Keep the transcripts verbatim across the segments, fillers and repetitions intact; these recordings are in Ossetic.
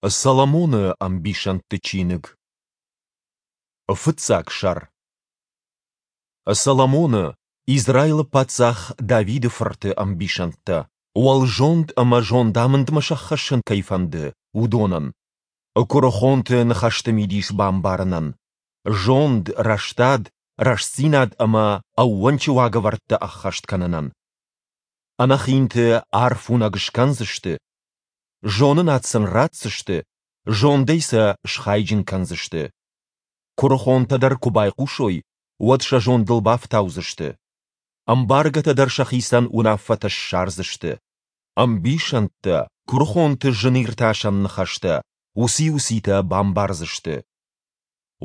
Соломоны ӕмбисӕндты чиныг. Фыццаг сӕр. Соломоны, Израилы паддзах Давиды фырты ӕмбисӕндтӕ, уӕлзонд ӕмӕ зондамындмӕ сӕххӕссын кӕй фӕнды, уыдонӕн. Куырыхонты ныхӕсты мидис бамбарынӕн, зонд, рӕстад, рӕстдзинад ӕмӕ ӕууӕнчы уагӕвӕрдтӕ ӕххӕст кӕнынӕн. Ӕнӕхинты арфуынӕг скӕндзысты, зонынад сын ратдзысты, зондӕй сӕ схайджын кӕндзысты. Куырыхонтӕ дӕр куы байхъусой, уӕд сӕ зондыл бафтаудзысты. Ӕмбаргӕтӕ дӕр сӕхицӕн уынаффӕтӕ ссардзысты. Ӕмбисӕндтӕ, куырыхонты зыниртасӕн ныхӕстӕ, уыци-уыцитӕ бамбардзысты.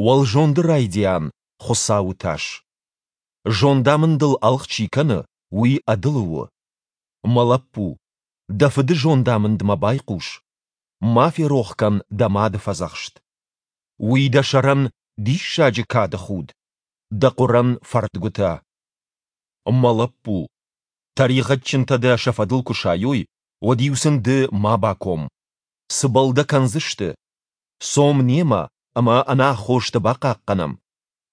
Уӕлзонды райдиан — Хуыцауы тас. Зондамындыл ӕлгъ чи кӕны, уый ӕдылы у. Мӕ лӕппу, дӕ фыды зондамындмӕ байхъус, ма ферох кӕн дӕ мады фӕдзӕхст. Уый дӕ сӕрӕн диссаджы кады худ, дӕ хъуырӕн фӕрдгуытӕ. Мӕ лӕппу, тӕригъӕдджынтӕ дӕ сӕ фӕдыл куы сайой, уӕд-иу сын ды ма баком. Цыбӕл дӕ кӕндзысты? Цом немӕ ӕмӕ ӕнаххосты бахъахъхъӕнӕм,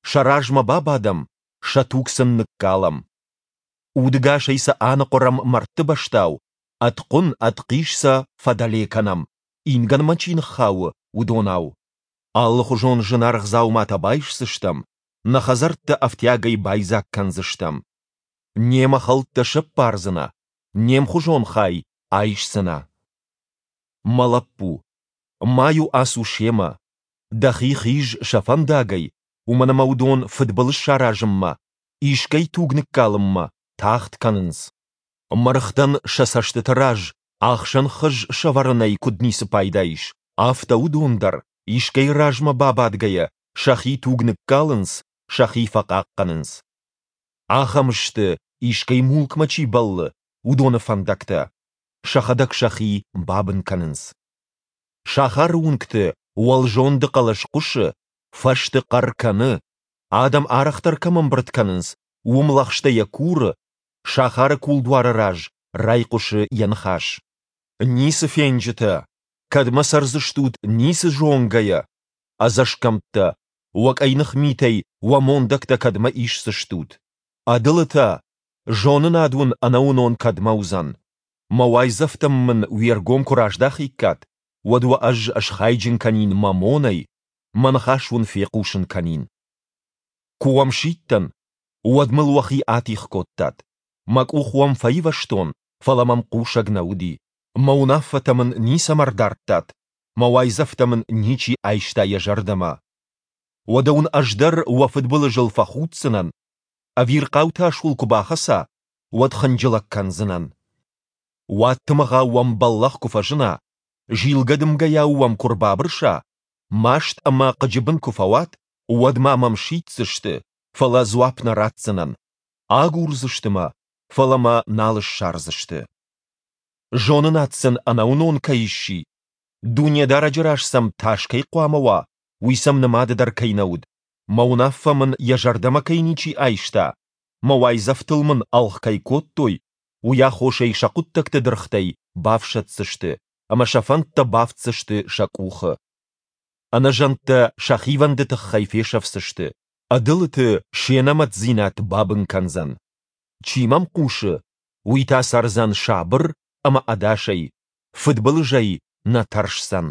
сӕ размӕ бабадӕм, сӕ туг сын ныккалӕм. Удӕгасӕй сӕ аныхъуырӕм мӕрдты бӕстау, ӕд хъуын, ӕд хъис сӕ фӕдӕле кӕнӕм, ингӕнмӕ чи ныххауы, уыдонау. Алыхуызон зынаргъ дзауматӕ байсдзыстӕм, нӕ хӕдзӕрттӕ ӕфтиагӕй байдзаг кӕндзыстӕм. Немӕ хӕлттӕ сӕппардзынӕ, не мхуызон хай айсдзынӕ. Мӕ лӕппу, ма-иу ацу семӕ, дӕхи хиз сӕ фӕндагӕй, уымӕн ӕмӕ уыдон фыдбылыз саразынмӕ, искӕй туг ныккалынмӕ тагъд кӕнынц. Мӕргътӕн сӕ цӕстыты раз ахсӕн хыз сӕвӕрынӕй куыд ницы пайда ис, афтӕ уыдон дӕр, искӕй размӕ бабадгӕйӕ, сӕхи туг ныккалынц, сӕхи фӕхъахъхъӕнынц. Ахӕм сты, искӕй мулкмӕ чи бӕллы, уыдоны фӕндӕгтӕ, сӕхӕдӕг сӕхи бабын кӕнынц. Сахары уынгты уӕлзонды хъӕлӕс хъуысы, фӕзты хъӕр кӕны, адӕм арӕхдӕр кӕм ӕмбырд кӕнынц, уым лӕгъстӕ йӕ куры, сахары кулдуары раз райхъуысы йӕ ныхас. Ницы фенджытӕ, кӕдмӕ цӕрдзыстут ницы зонгӕйӕ? Ӕдзӕсгӕмттӕ, уӕ къӕйных митӕй уӕ мондӕгтӕ кӕдмӕ исдзыстут? Ӕдылытӕ, зонынад уын ӕнӕуынон кӕдмӕ уыдзӕн? Мӕ уайдзӕфтӕм мын уе ргом куы раздахиккат, уӕд уӕ ӕз схайджын кӕнин мӕ монӕй, мӕ ныхас уын фехъусын кӕнин. Куы уӕм сидтӕн, уӕд мыл уӕхи атигъ кодтат. Мӕ къух уӕм фӕивӕзтон, фӕлӕ мӕм хъусӕг нӕ уыди. Мӕ уынаффӕтӕ мын ницӕмӕ рдардтат, мӕ уайдзӕфтӕ мын ничи айста йӕ зӕрдӕмӕ. Уӕдӕ уын ӕз дӕр уӕ фыдбылызыл фӕхуддзынӕн, ӕвирхъау тас уыл куы бахӕца, уӕд хынджылӕг кӕндзынӕн. Уадтымыгъау уӕм бӕллӕх куы фӕзына, зилгӕ дымгӕйау уӕм куы рбабырса, маст ӕмӕ хъыджы бын куы фӕуат, уӕд ма мӕм сиддзысты, фӕлӕ дзуапп нӕ ратдзынӕн, агурдзысты мӕ, фӕлӕ мӕ нал ссардзысты. Зонынад сын ӕнӕуынон кӕй сси, Дунедарӕджы раз сӕм тас кӕй хъуамӕ уа, уый сӕм нымады дӕр кӕй нӕ уыд, мӕ уынаффӕ мын йӕ зӕрдӕмӕ кӕй ничи айста, мӕ уайдзӕфтыл мын ӕлгъ кӕй кодтой, уый аххосӕй сӕ хъуыддӕгты дыргътӕй бафсӕддзысты ӕмӕ сӕ фӕндтӕ бафтдзысты сӕ къухы. Ӕнӕзӕндтӕ сӕ хивӕнды тыххӕй фесӕфдзысты, ӕдылыты се нӕмӕтдзинад бабын кӕндзӕн. Чи мӕм хъусы, уый та цӕрдзӕн сабыр ӕмӕ ӕдасӕй, фыдбылызӕй нӕ тӕрсдзӕн.